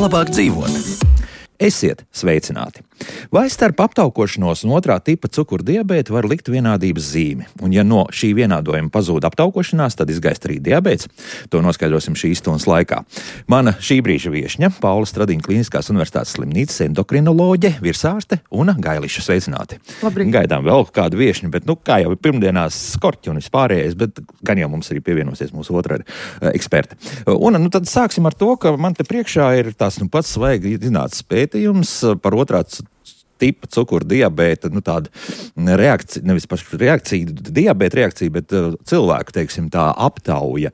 labāk dzīvot. Esiet sveicināti! Vai starp aptaukošanos un otrā tipa cukurdiabētu var likt vienādības zīmi? Un ja no šī vienādojuma pazūd aptaukošanās, tad izgaist arī diabēts? To noskaidrosim šīs stundas laikā. Mana šī brīža viešņa, Paula Stradiņa Kliniskās universitātes slimnīcas endokrinoloģe, virsārste Una Gailiša. Sveicināti! Labrīt. Gaidām vēl kādu viešņu, bet kā jau pirmdienās skorķi un vispārējais, bet gan jau mums arī pievienosies mūsu otrā eksperte. Una, tad sāksim ar to, ka man te priekšā ir tās pats svaigi zināts pētījums par otrā tipa cukurdiabēta, tāda reakcija, nevis pašu reakcija, diabēta reakcija, bet cilvēku, teiksim, tā aptauja,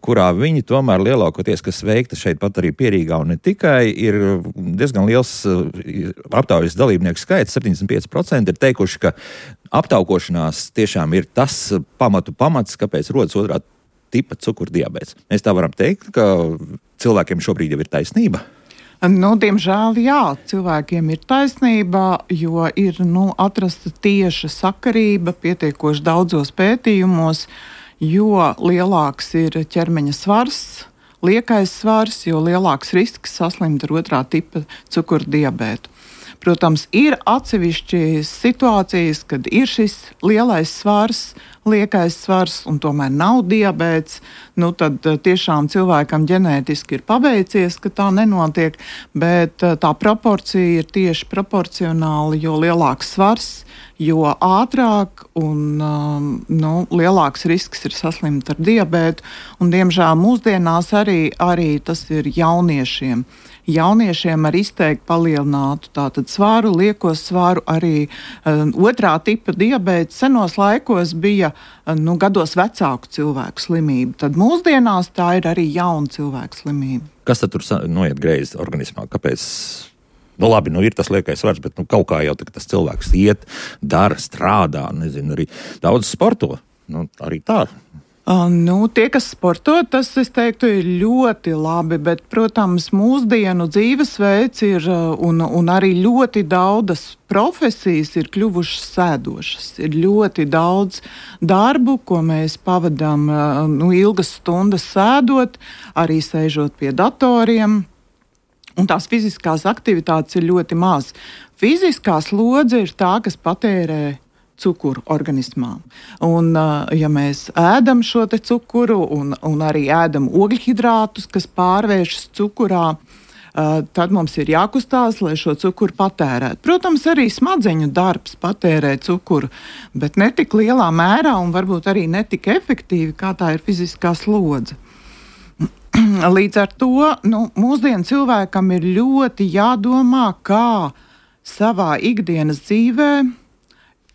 kurā viņi tomēr lielākoties, kas veikta šeit pat arī Pierīgā un ne tikai, ir diezgan liels aptaujas dalībnieku skaits, 75% ir teikuši, ka aptaukošanās tiešām ir tas pamats, kāpēc rodas otrā tipa cukurdiabēts. Mēs tā varam teikt, ka cilvēkiem šobrīd jau ir taisnība? Diemžēl, jā, cilvēkiem ir taisnība, jo ir atrasta tieša sakarība pietiekoši daudzos pētījumos, jo lielāks ir ķermeņa svars, liekais svars, jo lielāks risks saslimt ar otrā tipa cukurdiabētu. Protams, ir atsevišķas situācijas, kad ir šis lielais svars, liekais svars un tomēr nav diabēts, tad tiešām cilvēkam ģenētiski ir paveicies, ka tā nenotiek, bet tā proporcija ir tieši proporcionāla, jo lielāks svars, jo ātrāk un lielāks risks ir saslimt ar diabētu, un diemžēl mūsdienās arī tas ir jauniešiem. Jauniešiem ar izteikti palielinātu tātad svaru, lieko svaru, arī otrā tipa diabēts senos laikos bija gados vecāku cilvēku slimība. Tad mūsdienās tā ir arī jauna cilvēku slimība. Kas tad tur noiet greizi organismā? Kāpēc? Labi, ir tas liekais svars, bet kaut kā jau tas cilvēks iet, dara, strādā, arī daudz sporto. Arī tā. Tie, kas sporto, tas, es teiktu, ir ļoti labi, bet, protams, mūsdienu dzīvesveids ir un arī ļoti daudzas profesijas ir kļuvušas sēdošas. Ir ļoti daudz darbu, ko mēs pavadām ilgas stundas sēdot, arī sēžot pie datoriem, un tās fiziskās aktivitātes ir ļoti maz. Fiziskā slodze ir tā, kas patērē cukuru organismā. Un, ja mēs ēdam šo te cukuru un arī ēdam ogļhidrātus, kas pārvēršas cukurā, tad mums ir jākustās, lai šo cukuru patērētu. Protams, arī smadzeņu darbs patērē cukuru, bet ne tik lielā mērā un varbūt arī ne tik efektīvi, kā tā ir fiziskā slodze. Līdz ar to mūsdienu cilvēkam ir ļoti jādomā, kā savā ikdienas dzīvē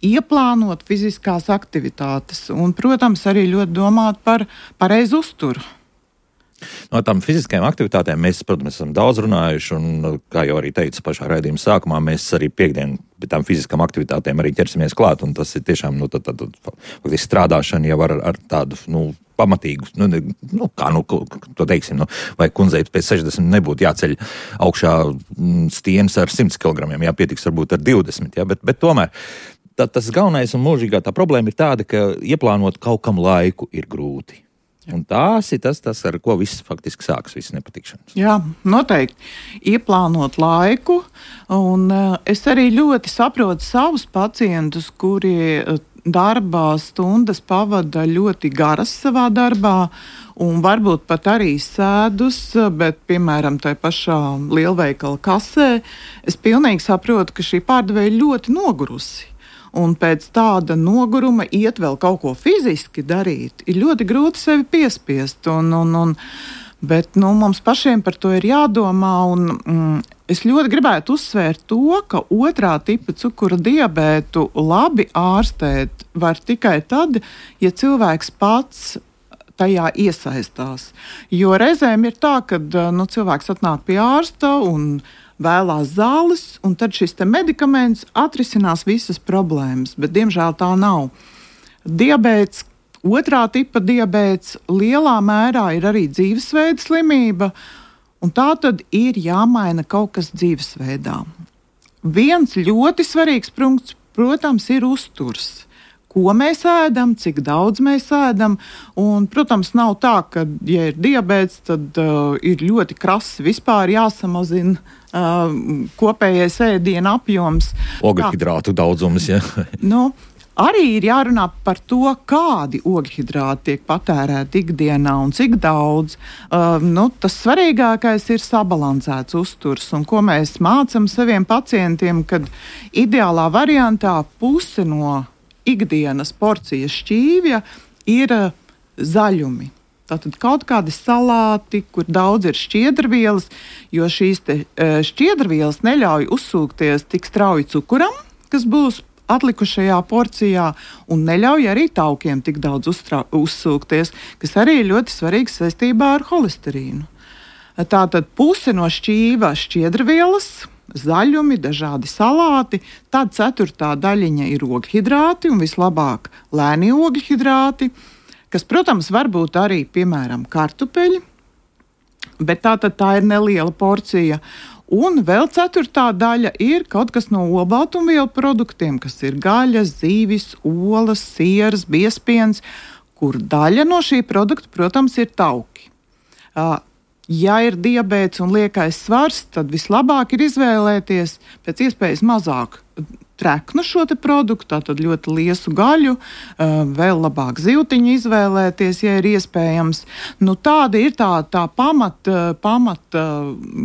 ieplānot fiziskās aktivitātes un, protams, arī ļoti domāt par pareizu uzturu. No tām fiziskajām aktivitātēm mēs, protams, esam daudz runājuši, un, kā jau arī teicu pašā raidījuma sākumā, mēs arī piekdien pie tām fiziskām aktivitātēm arī ķersimies klāt, un tas ir tiešām faktiski strādāšana jau ar tādu, pamatīgu, to teiksim, vai kundzei pēc 60 nebūtu jāceļ augšā stienas ar 100 kg, pietiks varbūt ar 20, bet tomēr tas galvenais un mūžīgā tā problēma ir tāda, ka ieplānot kaut kam laiku ir grūti. Un tās ir tas, ar ko viss faktiski sāks, visas nepatikšanas. Jā, noteikti. Ieplānot laiku, un es arī ļoti saprotu savus pacientus, kuri darbā stundas pavada ļoti garas savā darbā, un varbūt pat arī sēdus, bet, piemēram, tai pašā lielveikala kasē, es pilnīgi saprotu, ka šī pārdevēja ļoti nogurusi. Un pēc tāda noguruma iet vēl kaut ko fiziski darīt, ir ļoti grūti sevi piespiest. Bet mums pašiem par to ir jādomā. Es ļoti gribētu uzsvērt to, ka otrā tipa cukura diabētu labi ārstēt var tikai tad, ja cilvēks pats tajā iesaistās. Jo reizēm ir tā, ka cilvēks atnāk pie ārsta un vēlās zāles, un tad šis medikaments atrisinās visas problēmas, bet diemžēl tā nav. Diabēts, otrā tipa diabēts lielā mērā ir arī dzīvesveida slimība, un tā tad ir jāmaina kaut kas dzīvesveidā. Viens ļoti svarīgs punkts, protams, ir uzturs. ko mēs ēdam, cik daudz mēs ēdam. Un, protams, nav tā, ka, ja ir diabēts, tad ir ļoti krasi vispār jāsamazina kopējais ēdiena apjoms. Ogļhidrātu daudzums, ja. Arī ir jārunā par to, kādi ogļhidrāti tiek patērēti ikdienā un cik daudz. Tas svarīgākais ir sabalansēts uzturs, un ko mēs mācam saviem pacientiem, kad ideālā variantā puse no ikdienas porcijas šķīvja ir zaļumi. Tātad kaut kādi salāti, kur daudz ir šķiedrvielas, jo šīs šķiedrvielas neļauj uzsūkties tik strauji cukuram, kas būs atlikušajā porcijā, un neļauj arī taukiem tik daudz uzsūkties, kas arī ir ļoti svarīgs saistībā ar holesterīnu. Tātad puse no šķīva šķiedrvielas, zaļumi, dažādi salāti, tad 4. daļiņa ir ogļhidrāti, un vislabāk lēnie ogļhidrāti, kas, protams, var būt arī, piemēram, kartupeļi, bet tā ir neliela porcija. Un vēl 4. daļa ir kaut kas no olbaltumvielu produktiem, kas ir gaļas, zīvis, olas, sieras, biezpiens, kur daļa no šī produkta, protams, ir tauki. Ja ir diabēts un liekais svars, tad vislabāk ir izvēlēties pēc iespējas mazāk treknu šo te produktu, tātad ļoti liesu gaļu, vēl labāk zivtiņu izvēlēties, ja ir iespējams. Tāda ir tā pamat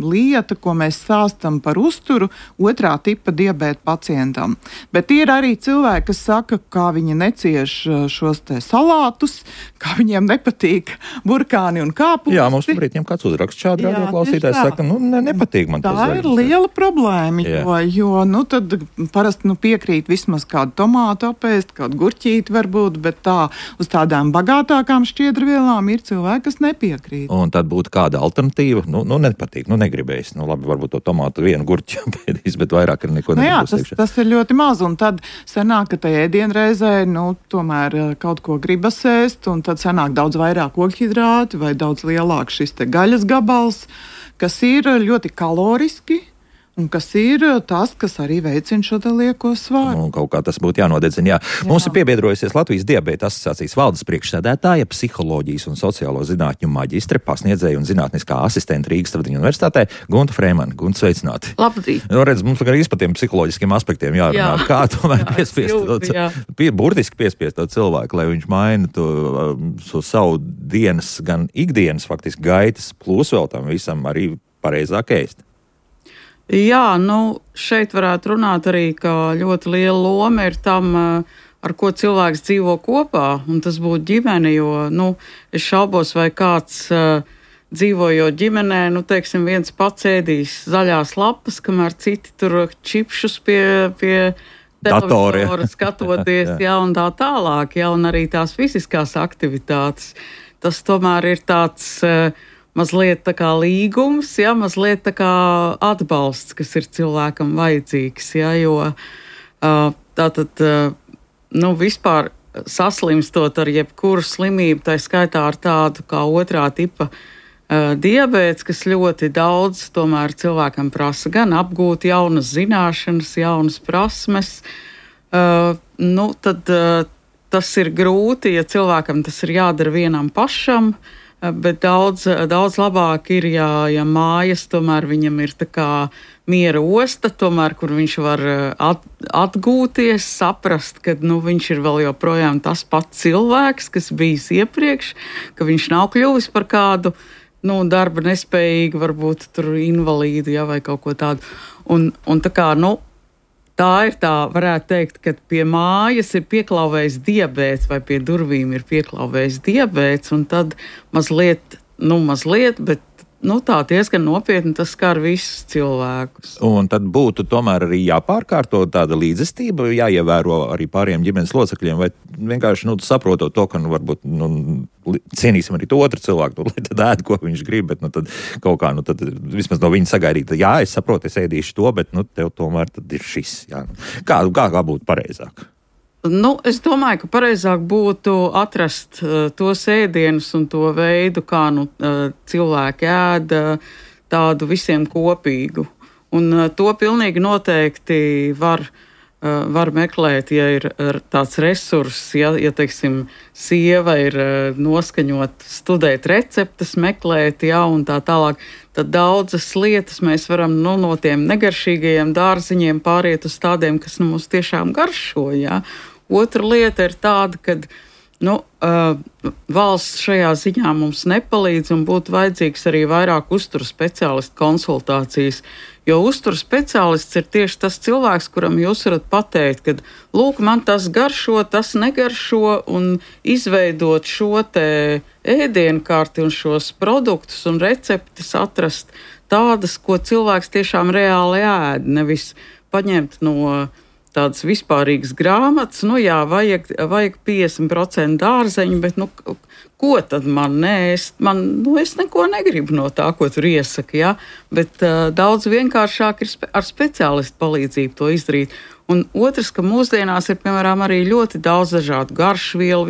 lieta, ko mēs stāstam par uzturu 2. tipa diabēta pacientam. Bet ir arī cilvēki, kas saka, kā viņi necieš šos te salātus, kā viņiem nepatīk burkāni un kāpusti. Jā, mums šobrīd ņem kāds uzraksts šādi radioklausītājs saka, nepatīk man tas. Tā ir liela problēma, jo tad parasti piekrīt vismaz kādu tomātu apēst, kādu gurķīti varbūt, bet tā uz tādām bagātākām šķiedrvielām ir cilvēki, kas nepiekrīt. Un tad būtu kāda alternatīva? Nepatīk, negribējis. Labi, varbūt to tomātu vienu gurķi apēdīs, bet vairāk ir neko nebūs. Tas ir ļoti maz, un tad sanāk, ka tajā ēdienreizē, tomēr kaut ko gribas ēst, un tad sanāk daudz vairāk ogļhidrāti vai daudz lielāk šis te gaļas gabals, kas ir ļoti kaloriski, un kas ir tas, kas arī veicina šo lieko svaru. Kaut kā tas būtu jānodedzina. Jā. Mums ir piebiedrojusies Latvijas diabēta asociācijas valdes priekšsēdētāja, psiholoģijas un sociālo zinātņu maģistre, pasniedzēja un zinātniskā asistente Rīgas Tradiņu universitātē Gunta Frēmane. Gunta, sveicināti. Labdien. Redz, mums arī par tiem psiholoģiskiem aspektiem jārunā. Jā. Kā tomēr burtiski piespiest to cilvēku, lai viņš maina to savu dienas, gan ikdienas faktiski gaitas, plus vēl tam visam arī pareizāk ēst. Jā, šeit varētu runāt arī, ka ļoti liela loma ir tam, ar ko cilvēks dzīvo kopā, un tas būtu ģimene, jo, es šaubos, vai kāds dzīvojot ģimenē, teiksim, viens pats ēdīs zaļās lapas, kamēr citi tur čipšus pie televizora skatoties, un tā tālāk, un arī tās fiziskās aktivitātes. Tas tomēr ir tāds mazliet tā kā līgums, mazliet tā kā atbalsts, kas ir cilvēkam vajadzīgs, jo tātad, vispār saslimstot ar jebkuru slimību, tā skaitā ar tādu kā 2. tipa diabēts, kas ļoti daudz tomēr cilvēkam prasa gan apgūt jaunas zināšanas, jaunas prasmes, tad tas ir grūti, ja cilvēkam tas ir jādara vienam pašam, bet daudz labāk ir, ja mājas tomēr viņam ir tā kā miera osta, tomēr, kur viņš var atgūties, saprast, ka viņš ir vēl joprojām tas pats cilvēks, kas bijis iepriekš, ka viņš nav kļuvis par kādu darba nespējīgu, varbūt tur invalīdu, vai kaut ko tādu. Un tā kā, tā ir tā, varētu teikt, ka pie mājas ir pieklauvējis diabēts vai pie durvīm ir pieklauvējis diabēts, un tad mazliet, bet tā diezgan nopietni tas skar visus cilvēkus. Un tad būtu tomēr arī jāpārkārto tāda līdzestība, jāievēro arī pāriem ģimenes locekļiem, vai vienkārši saprotot to, ka varbūt cienīsim arī to otru cilvēku, lai tad ēd, ko viņš grib, bet tad kaut kā, tad vismaz no viņa sagaidīt, jā, es saprotu, es ēdīšu to, bet tev tomēr tad ir šis, jā. Kā būtu pareizāk? Es domāju, ka pareizāk būtu atrast tos ēdienus un to veidu, kā cilvēki ēd tādu visiem kopīgu. Un to pilnīgi noteikti var var meklēt, ja ir tāds resurss, ja teiksim, sieva ir noskaņot, studēt receptes, meklēt, un tā tālāk, tad daudzas lietas mēs varam no tiem negaršīgajiem dārziņiem pāriet uz tādiem, kas mums tiešām garšo, Otra lieta ir tāda, kad valsts šajā ziņā mums nepalīdz un būtu vajadzīgs arī vairāk uzturu speciālistu konsultācijas, jo uzturu speciālists ir tieši tas cilvēks, kuram jūs varat pateikt, ka, lūk, man tas garšo, tas negaršo, un izveidot šo te ēdienkarti un šos produktus un receptes atrast tādas, ko cilvēks tiešām reāli ēd, nevis paņemt no tādas vispārīgas grāmatas, vajag 50% dārzeņu, bet, ko tad man ēst? Es neko negribu no tā, ko tur iesaka, bet daudz vienkāršāk ir ar speciālistu palīdzību to izdarīt. Un otrs, ka mūsdienās ir, piemēram, arī ļoti daudz dažādu garšvielu,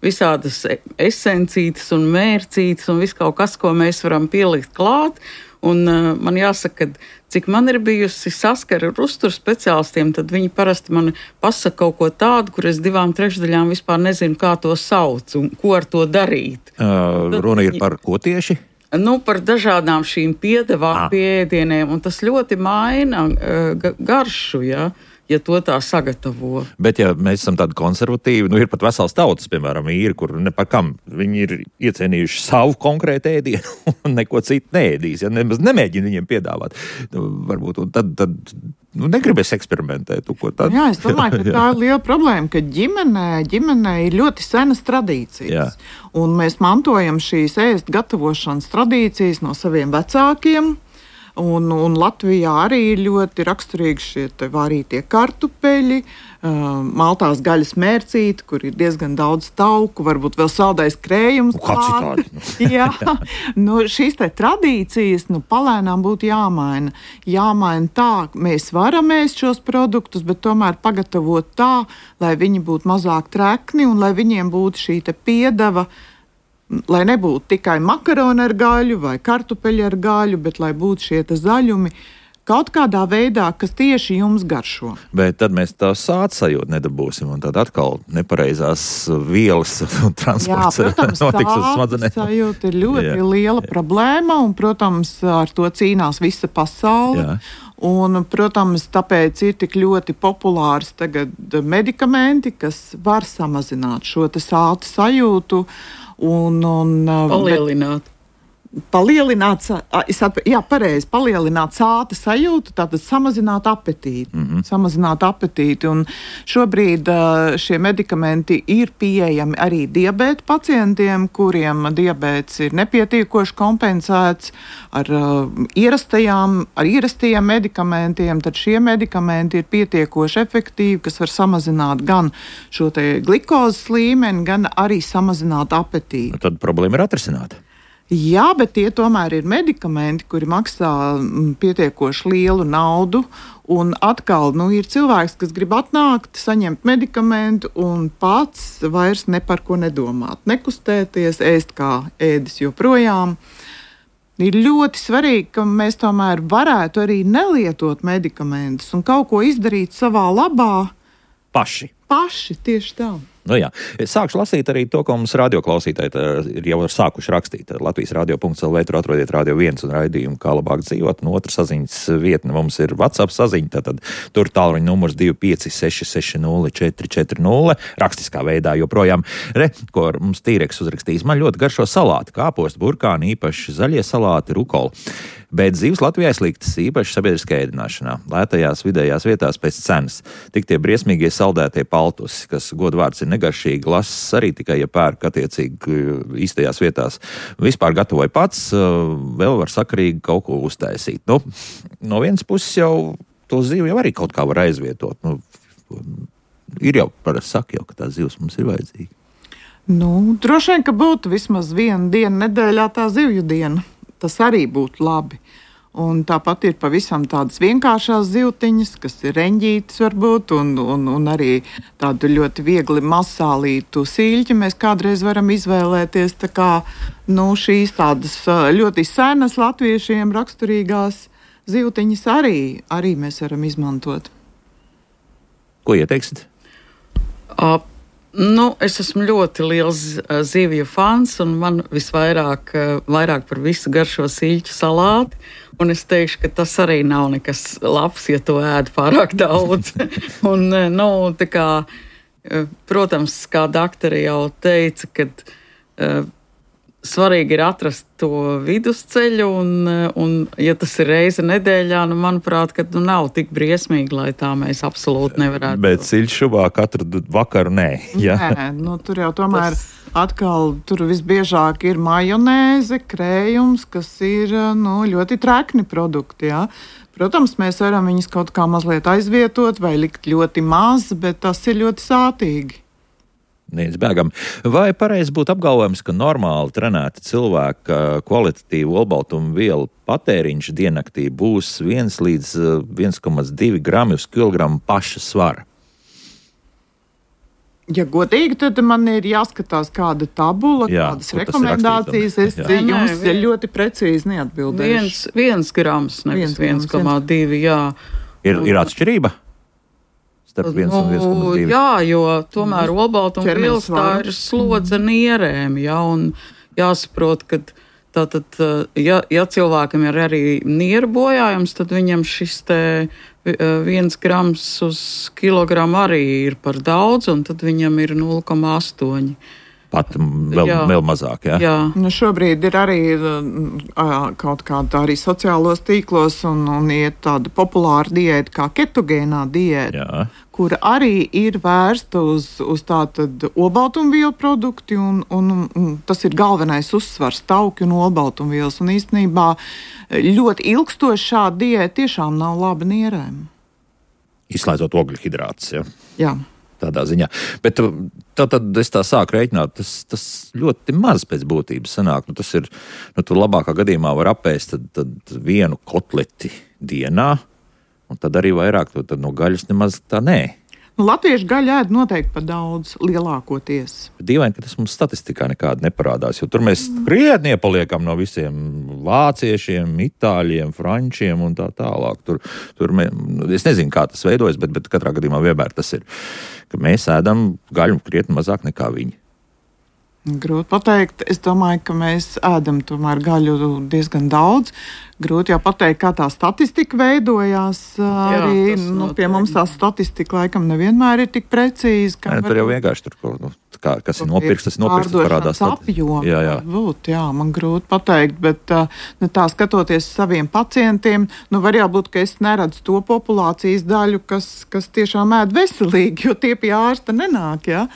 visādas esencītes un mērcītes un viss kaut kas, ko mēs varam pielikt klāt. Un man jāsaka, ka cik man ir bijusi saskara ar uzturu speciālistiem, tad viņi parasti man pasaka kaut ko tādu, kur es 2/3 vispār nezinu, kā to sauc un ko ar to darīt. Runa ir par ko tieši? Par dažādām šīm piedevām pie ēdieniem, un tas ļoti maina garšu, ja to tā sagatavo. Bet, ja mēs esam tādi konservatīvi, ir pat vesels tautas, piemēram, īri, kur ne par kam viņi ir iecienījuši savu konkrētu ēdienu un neko citu neēdīs, nemaz nemēģina viņiem piedāvāt. Varbūt, un tad negribēs eksperimentēt. Jā, es domāju, ka tā ir liela problēma, ka ģimenē ir ļoti senas tradīcijas. Un mēs mantojam šīs ēst gatavošanas tradīcijas no saviem vecākiem. Un Latvijā arī ir ļoti raksturīgi šie vārītie kartupeļi, maltās gaļas mērcīti, kur ir diezgan daudz tauku, varbūt vēl saldais krējums. Jā, šīs tradīcijas palēnām būtu jāmaina. Jāmaina tā, mēs varam ēst šos produktus, bet tomēr pagatavot tā, lai viņi būtu mazāk trekni un lai viņiem būtu šī piedeva, lai nebūtu tikai makaroni ar gaļu vai kartupeļi ar gaļu, bet lai būtu šie zaļumi kaut kādā veidā, kas tieši jums garšo. Bet tad mēs tā sādsajūtu nedabūsim, un tad atkal nepareizās vielas un transports notiks uz smadzenēm. Sājūta ir ļoti liela problēma, un, protams, ar to cīnās visa pasaule. Un, protams, tāpēc ir tik ļoti populārs tagad medikamenti, kas var samazināt šo sāta sajūtu. Palielināt sāta sajūtu, tātad samazināt apetīti. Samazināt apetīti. Un šobrīd šie medikamenti ir pieejami arī diabēta pacientiem, kuriem diabēts ir nepietiekoši kompensēts ar ierastajiem medikamentiem. Tad šie medikamenti ir pietiekoši efektīvi, kas var samazināt gan šo glikozes līmeni, gan arī samazināt apetīti. Tad problēma ir atrisināta. Jā, bet tie tomēr ir medikamenti, kuri maksā pietiekoši lielu naudu. Un atkal ir cilvēks, kas grib atnākt, saņemt medikamentu un pats vairs ne par ko nedomāt. Nekustēties, ēst kā ēdis joprojām. Ir ļoti svarīgi, ka mēs tomēr varētu arī nelietot medikamentus un kaut ko izdarīt savā labā. Paši, tieši tā. Es sākšu lasīt arī to, ko mums radioklausītāji ir jau sākuši rakstīt. Latvijas radio.lv, tur atrodiet Radio 1 un raidījumu, kā labāk dzīvot. Un otra saziņas vietne mums ir WhatsApp saziņa, tad tur tālruņa numurs 25660 rakstiskā veidā joprojām. Ko mums Tīreks uzrakstījis. Man ļoti garšo salāti, kāposti, burkāni, īpaši zaļie salāti, rukoli. Bet dzīves Latvijā sliktas, īpaši sabiedriskā ēdināšanā, lētajās vidējās vietās pēc cenas. Tik tie briesmīgie saldētie paltusi, kas godvārds ir negaršīgi, lases arī tikai, ja pērk attiecīgi īstajās vietās. Vispār gatavoju pats, vēl var sakarīgi kaut ko uztaisīt. No vienas puses jau to zivu jau arī kaut kā var aizvietot. Ir jau parasti saka, ka tā zivs mums ir vajadzīga. Droši vien, ka būtu vismaz viena diena nedēļā tā zivju diena. Tas arī būtu labi. Un tāpat ir pavisam tādas vienkāršās zivtiņas, kas ir reņģītas varbūt, un arī tādu ļoti viegli masālītu sīļķi mēs kādreiz varam izvēlēties. Tā kā šīs tādas ļoti senas latviešiem raksturīgās zivtiņas arī mēs varam izmantot. Ko ieteiksit? Es esmu ļoti liels zivju fans, un man vairāk par visu garšo siļķu salāti. Un es teikšu, ka tas arī nav nekas labs, ja to ēd pārāk daudz. Un, tā kā, protams, kā doktori jau teica, ka svarīgi ir atrast to vidusceļu, un ja tas ir reize nedēļā, manuprāt, ka nav tik briesmīgi, lai tā mēs absolūti nevarētu. Bet siļšubā katru vakaru nē. Ja? Nē, tur jau tomēr atkal tur visbiežāk ir majonēze, krējums, kas ir ļoti trekni produkti, jā. Protams, mēs varam viņus kaut kā mazliet aizvietot vai likt ļoti maz, bet tas ir ļoti sātīgi. Bēgam. Vai pareizi būtu apgalvojums, ka normāli trenēta cilvēka kvalitatīvu olbaltumu vielu patēriņš diennaktī būs 1 līdz 1,2 grami uz kilogramu paša svara? Ja godīgi, tad man ir jāskatās kāda tabula, kādas rekomendācijas. Es jums ļoti precīzi neatbildēšu. 1 grams, nevis 1,2, jā. Ir atšķirība? Starp 1 un 1,2. Jā, jo tomēr olbaltumvielas tā ir slodze nierēm, jā, un jāsaprot, ka tātad, ja cilvēkam ir arī nieru bojājums, tad viņam šis te 1 grams uz kilogramu arī ir par daudz, un tad viņam ir 0,8. Pat vēl mazāk, jā? Jā. Šobrīd ir arī kaut kāda arī sociālos tīklos un iet tāda populāra diēta kā ketogēnā diēta, kura arī ir vērsta uz tātad olbaltumvielu produkti, un tas ir galvenais uzsvars tauki un olbaltumvielas, un īstenībā ļoti ilgstoši šāda diēta tiešām nav laba nierēm. Izslēdzot ogļhidrātus, ja? Jā. Tādā ziņā. Bet tad es tā sāku rēķināt, tas ļoti maz pēc būtības sanāk. Tas ir, tu labākā gadījumā var apēst tad 1 kotleti dienā, un tad arī vairāk tad no gaļas nemaz tā nē. Latviešu gaļu ēd noteikti par daudz, lielākoties. Dīvaini, ka tas mums statistikā nekāda neparādās, jo tur mēs krietni iepaliekam no visiem vāciešiem, itāļiem, frančiem un tā tālāk. Es nezinu, kā tas veidojas, bet katrā gadījumā vienmēr tas ir, ka mēs ēdam gaļu krietni mazāk nekā viņi. Grūti pateikt. Es domāju, ka mēs ēdam tomēr gaļu diezgan daudz. Grūti jau pateikt, kā tā statistika veidojās. Arī pie mums tā statistika laikam nevienmēr ir tik precīza. Tur jau vienkārši kas ir nopirks, tas nopirks, tas parādās. Jā. Man grūti pateikt, bet tā skatoties saviem pacientiem, var jābūt, ka es neredzu to populācijas daļu, kas tiešām ēd veselīgi, jo tie pie ārsta nenāk, jā.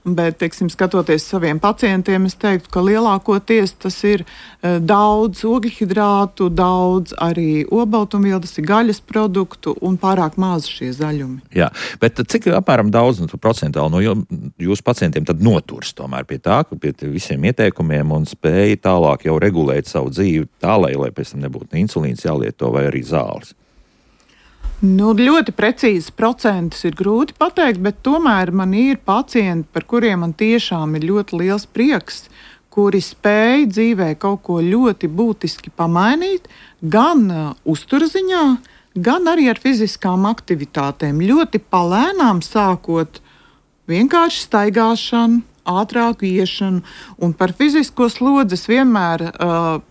Bet, skatoties saviem pacientiem, es teiktu, ka lielākoties tas ir daudz ogļhidrātu, daudz arī olbaltumvielu, tas ir gaļas produktu un pārāk maz šie zaļumi. Jā, bet cik apmēram daudz procentuāli no jūsu pacientiem tad noturs tomēr pie tā, ka pie visiem ieteikumiem un spēja tālāk jau regulēt savu dzīvi tā, lai pēc tam nebūtu insulīns jālieto vai arī zāles? Ļoti precīzi procentus ir grūti pateikt, bet tomēr man ir pacienti, par kuriem man tiešām ir ļoti liels prieks, kuri spēj dzīvē kaut ko ļoti būtiski pamainīt, gan uzturziņā, gan arī ar fiziskām aktivitātēm. Ļoti palēnām sākot vienkārši staigāšanu, ātrāku iešanu, un par fizisko slodzi es vienmēr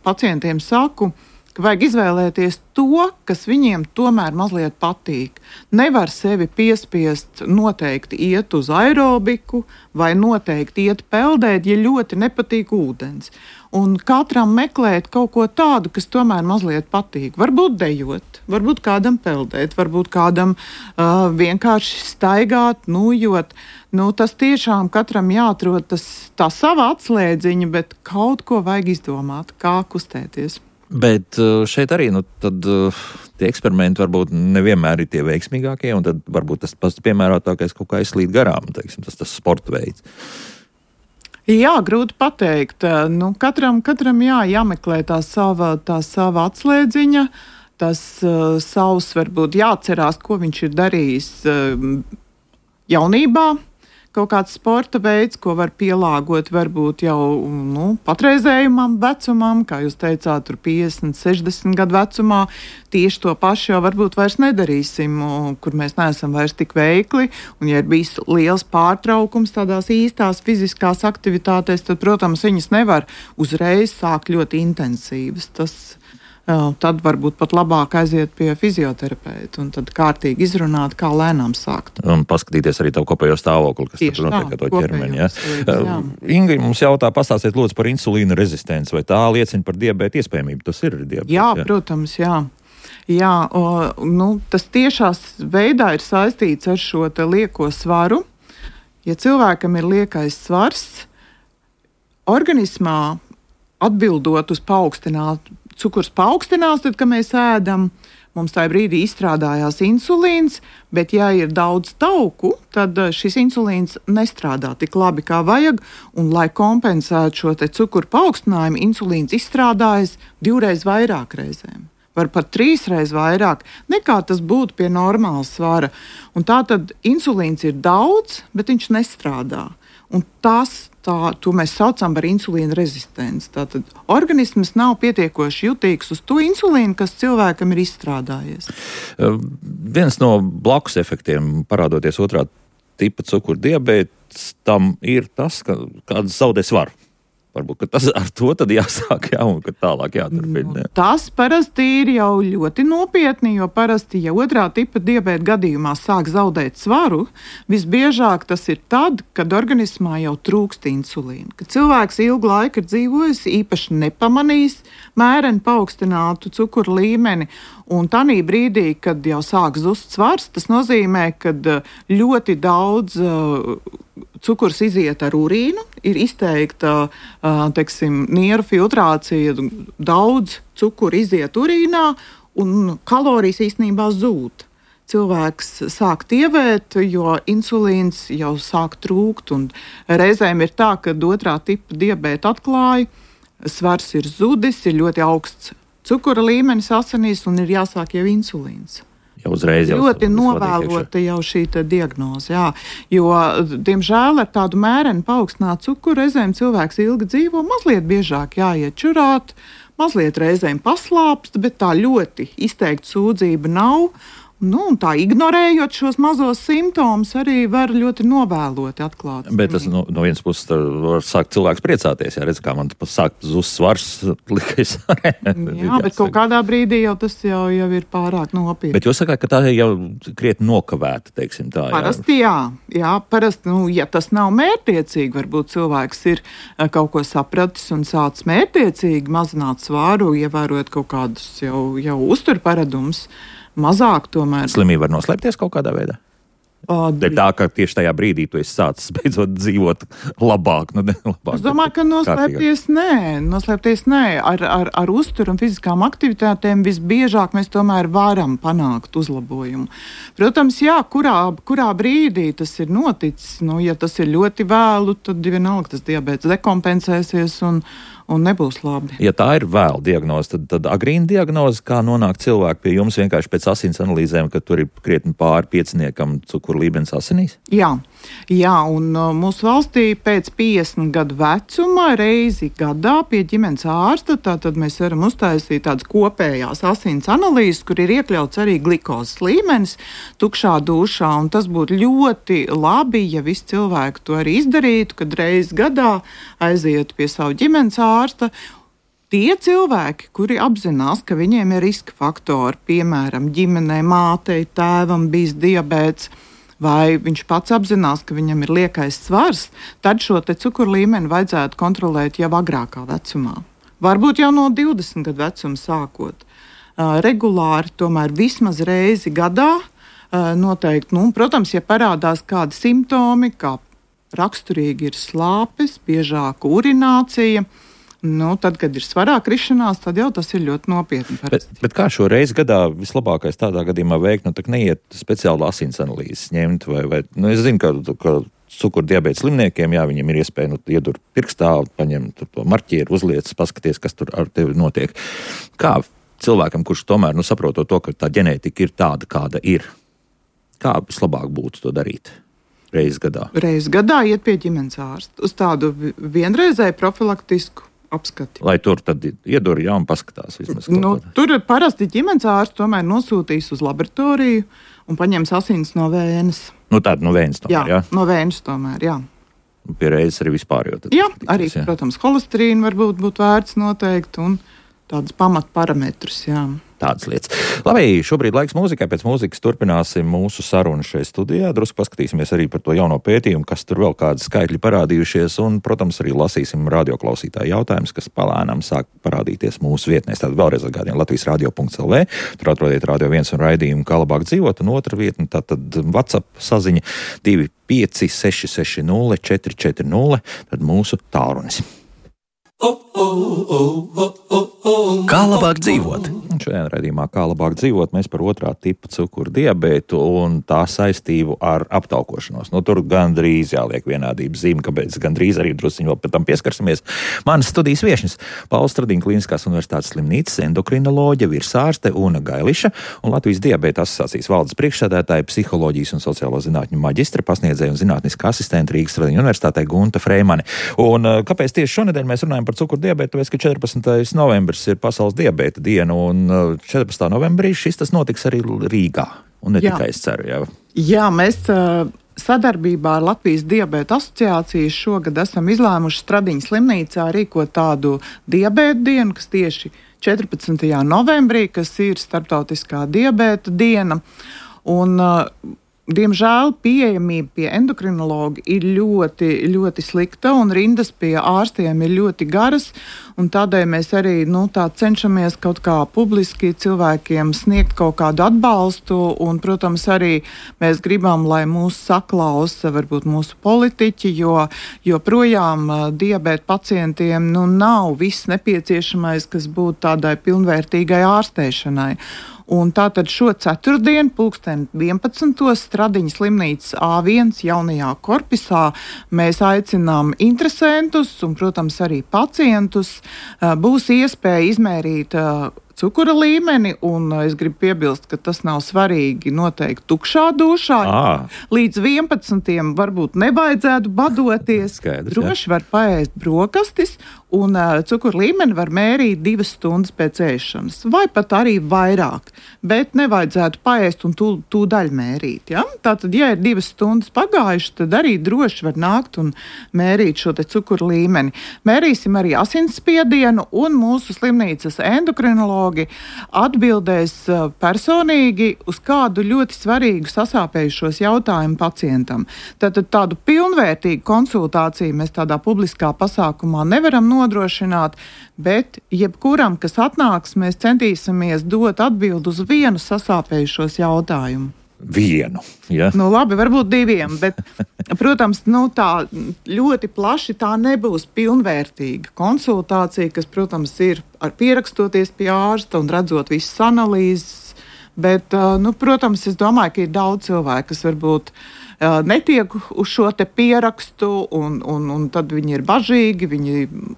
pacientiem saku, ka vajag izvēlēties to, kas viņiem tomēr mazliet patīk. Nevar sevi piespiest noteikti iet uz aerobiku vai noteikti iet peldēt, ja ļoti nepatīk ūdens. Un katram meklēt kaut ko tādu, kas tomēr mazliet patīk. Varbūt dejot, varbūt kādam peldēt, varbūt kādam vienkārši staigāt, nujot. Tas tiešām katram jāatrod tā sava atslēdziņa, bet kaut ko vajag izdomāt, kā kustēties. Bet šeit arī tie eksperimenti varbūt nevienmēr ir tie veiksmīgākie, un tad varbūt tas pats piemērotākais kaut kā aizslīd garām, tas sporta veids. Jā, grūti pateikt. Katram jāmeklē tā sava atslēdziņa, tas savs varbūt jāatcerās, ko viņš ir darījis jaunībā, kaut kāds sporta veids, ko var pielāgot varbūt jau patreizējumam vecumam, kā jūs teicāt, tur 50, 60 gadu vecumā. Tieši to pašu jau varbūt vairs nedarīsim, kur mēs neesam vairs tik veikli. Un, ja ir bijis liels pārtraukums tādās īstās fiziskās aktivitātēs, tad, protams, viņas nevar uzreiz sākt ļoti intensīvas. Tad varbūt pat labāk aiziet pie fizioterapeita un tad kārtīgi izrunāt, kā lēnām sākt. Un paskatīties arī tavu kopējo stāvokli, kas tur notiek ar to ķermeni. Ja? Ingrid mums jautā, pastāstiet lūdzu par insulīna rezistenci, vai tā liecina par diabēta iespējamību? Tas ir diabēts. Jā, protams, jā. Jā, tas tiešās veidā ir saistīts ar šo te lieko svaru. Ja cilvēkam ir liekais svars, organismā atbildot uz cukurs paaugstinās, tad, kad mēs ēdam, mums tajā brīdī izstrādājās insulīns, bet ja ir daudz tauku, tad šis insulīns nestrādā tik labi, kā vajag, un lai kompensētu šo te cukuru paaugstinājumu, insulīns izstrādājas 2 reizes vairāk reizēm. Var pat 3 reizes vairāk, nekā tas būtu pie normāla svara. Un tā tad insulīns ir daudz, bet viņš nestrādā. Un to mēs saucam par insulīna rezistenci. Tātad organisms nav pietiekoši jutīgs uz to insulīnu, kas cilvēkam ir izstrādājies. Viens no blakus efektiem, parādoties otrā tipa cukuru diabēts, tam ir tas, ka kāds zaudē svaru. Varbūt tas ar to tad jāsāk, un ka tālāk jāturpina. Tas parasti ir jau ļoti nopietni, jo parasti, ja otrā tipa diabēta gadījumā sāk zaudēt svaru, visbiežāk tas ir tad, kad organismā jau trūkst insulīna. Kad cilvēks ilgu laiku ir dzīvojis, īpaši nepamanījis mēreni paaugstinātu cukuru līmeni, un tanī brīdī, kad jau sāk zust svars, tas nozīmē, ka ļoti daudz cukurs iziet ar urīnu, ir izteikta, nieru filtrācija, daudz cukuru iziet urīnā, un kalorijas īstenībā zūd. Cilvēks sāk tievēt, jo insulīns jau sāk trūkt, un reizēm ir tā, ka otrā tipa diabēta atklāja, svars ir zudis, ir ļoti augsts cukura līmenis asinīs, un ir jāsāk jau insulīns. Ļoti novēlota jau šī diagnoze, jā, jo, diemžēl, ar tādu mēreni paaugstinātu cukuru reizēm cilvēks ilgi dzīvo, mazliet biežāk jāiet čurāt, mazliet reizēm paslāpst, bet tā ļoti izteikta sūdzība nav. Un tā ignorējot šos mazos simptomus, arī var ļoti novēloti atklāt. Bet tas no vienas puses var sākt cilvēks priecāties, ja redz, kā man sākt zust svars, likais arī. Jā, bet kaut kādā brīdī jau tas jau ir pārāk nopietni. Bet jūs sakāt, ka tā jau krietni nokavēta, teiksim tā. Parasti jā, parasti, ja tas nav mērķtiecīgi, varbūt cilvēks ir kaut ko sapratis un sācis mērķtiecīgi mazināt svāru, ievērot kaut kādus jau uzturparadumus. Mazāk tomēr. Slimība var noslēpties kaut kādā veidā? Tā, ka tieši tajā brīdī tu esi sācis beidzot dzīvot labāk. Labāk es domāju, ka noslēpties nē. Ar uzturu un fiziskām aktivitātēm visbiežāk mēs tomēr varam panākt uzlabojumu. Protams, jā, kurā brīdī tas ir noticis. Ja tas ir ļoti vēlu, tad vienalga tas diabēts dekompensēsies un nebūs labi. Ja tā ir vēla diagnoze, tad agrīna diagnoze, kā nonāk cilvēki pie jums vienkārši pēc asins analīzēm, ka tur ir krietni pāri 5 cukuru līmenis asinīs? Jā, un mūsu valstī pēc 50 gadu vecuma reizi gadā pie ģimenes ārsta, tātad mēs varam uztaisīt tādas kopējās asins analīzes, kur ir iekļauts arī glikozes līmenis tukšā dušā, un tas būtu ļoti labi, ja visi cilvēki to arī izdarītu, kad reizi gadā aizietu pie savu ģimenes ārsta. Tie cilvēki, kuri apzinās, ka viņiem ir riska faktori, piemēram, ģimenei, mātei, tēvam bijis diabēts, vai viņš pats apzinās, ka viņam ir liekais svars, tad šo te cukuru līmeni vajadzētu kontrolēt jau agrākā vecumā. Varbūt jau no 20 gadu vecuma sākot. Regulāri, tomēr vismaz reizi gadā, noteikti, protams, ja parādās kādi simptomi, kā raksturīgi ir slāpes, biežāka urinācija, tad, kad ir svarā krišanās, tad jau tas ir ļoti nopietni. Bet kā šo reizi gadā vislabākais tādā gadījumā veikt? Tak neiet speciāli asins analīzes ņemt vai es zinu, ka cukuru diabēta slimniekiem, viņiem ir iespēja iedur pirkstā, paņemt to marķieru, uzliec, paskaties, kas tur ar tevi notiek. Kā cilvēkam, kurš tomēr saprotot to, ka tā ģenētika ir tāda, kāda ir, kā vislabāk būtu to darīt? Reiz gadā? Reiz gadā iet pie ģimenes ārsta uz tādu vienreizēju profilaktisku apskati. Lai tur tad iedur, un paskatās vismaz. Tur parasti ģimenes ārsts tomēr nosūtīs uz laboratoriju un paņems asins no vēnes. Tāda no vēnes tomēr, jā? No vēnes tomēr, jā. Pie reizes arī vispār, jo tad... Jā, arī, protams, holesterīnu varbūt būtu vērts noteikt un tādas pamatparametrus, jā. Tādas lietas. Labi, šobrīd laiks mūzikai. Pēc mūzikas turpināsim mūsu sarunu šeit studijā. Drusku paskatīsimies arī par to jauno pētījumu, kas tur vēl kādi skaitļi parādījušies. Un, protams, arī lasīsim radioklausītāju jautājumus, kas palēnām sāk parādīties mūsu vietnēs. Tātad vēlreiz atgādījām latvijasradio.lv. Tur atrodiet Radio 1 un raidījumu Kā labāk dzīvot. Un otra vietne, tātad WhatsApp saziņa 25660 440. Tad mūsu tālrunis. Kā labāk dzīvot? Šajā raidījumā Kā labāk dzīvot, mēs par otrā tipa cukuru diabētu un tā saistību ar aptaukošanos. Tur gandrīz jāliek vienādības zīme, kāpēc gandrīz arī drusciņi vēl pēc tam pieskarsimies. Manas studijas viešņas Pauls Stradiņa Kliniskās universitātes slimnīcas endokrinoloģe, virsārste Una Gailiša un Latvijas diabēta asociācijas valdes priekšsēdētāja, psiholoģijas un sociālo zinātņu maģistra, pasniedzēja un zinātniska asistente Rīgas Stradiņa universitātē Gunta Freimane. Un kāpēc tieši šonedēļ mēs runājam par cukuru diabētu? Tāpēc, ka 14. novembris ir pasaules diabēta diena un 14. novembrī tas notiks arī Rīgā. Un ne tikai es ceru, jā. Jā, mēs sadarbībā ar Latvijas diabēta asociāciju šogad esam izlēmuši Stradiņa slimnīcā rīkot tādu diabēta dienu, kas tieši 14. novembrī, kas ir starptautiskā diabēta diena. Un diemžēl pieejamība pie endokrinologa ir ļoti, ļoti slikta un rindas pie ārstiem ir ļoti garas. Un tādēļ mēs arī cenšamies kaut kā publiski cilvēkiem sniegt kaut kādu atbalstu. Un, protams, arī mēs gribam, lai mūs saklausa varbūt mūsu politiķi, jo joprojām diabēta pacientiem nav viss nepieciešamais, kas būtu tādai pilnvērtīgai ārstēšanai. Un tātad šo ceturtdienu, 11. Stradiņa slimnīcas A1 jaunajā korpusā mēs aicinām interesentus un, protams, arī pacientus. Būs iespēja izmērīt cukura līmeni, un es gribu piebilst, ka tas nav svarīgi noteikti tukšā dušā. Līdz 11. varbūt nevajadzētu badoties. Skaidrs, droši var paēst brokastis, un cukura līmeni var mērīt 2 stundas pēc ēšanas, vai pat arī vairāk. Bet nevajadzētu paēst un tūdaļ mērīt. Ja? Tātad, ja ir 2 stundas pagājušas, tad arī droši var nākt un mērīt šo te cukura līmeni. Mērīsim arī asinsspiedienu, un mūsu slimnīcas endokrinologi atbildēs personīgi uz kādu ļoti svarīgu sasāpējušos jautājumu pacientam. Tātad tādu pilnvērtīgu konsultāciju mēs tādā publiskā pasākumā nevaram nodrošināt, bet jebkuram, kas atnāks, mēs centīsimies dot atbildi uz vienu sasāpējušos jautājumu. Vienu, ja? Labi, varbūt 2, bet, protams, tā ļoti plaši tā nebūs pilnvērtīga konsultācija, kas, protams, ir ar pierakstoties pie ārsta un redzot visas analīzes, bet, protams, es domāju, ka ir daudz cilvēku, kas varbūt netiek uz šo te pierakstu, un tad viņi ir bažīgi, viņi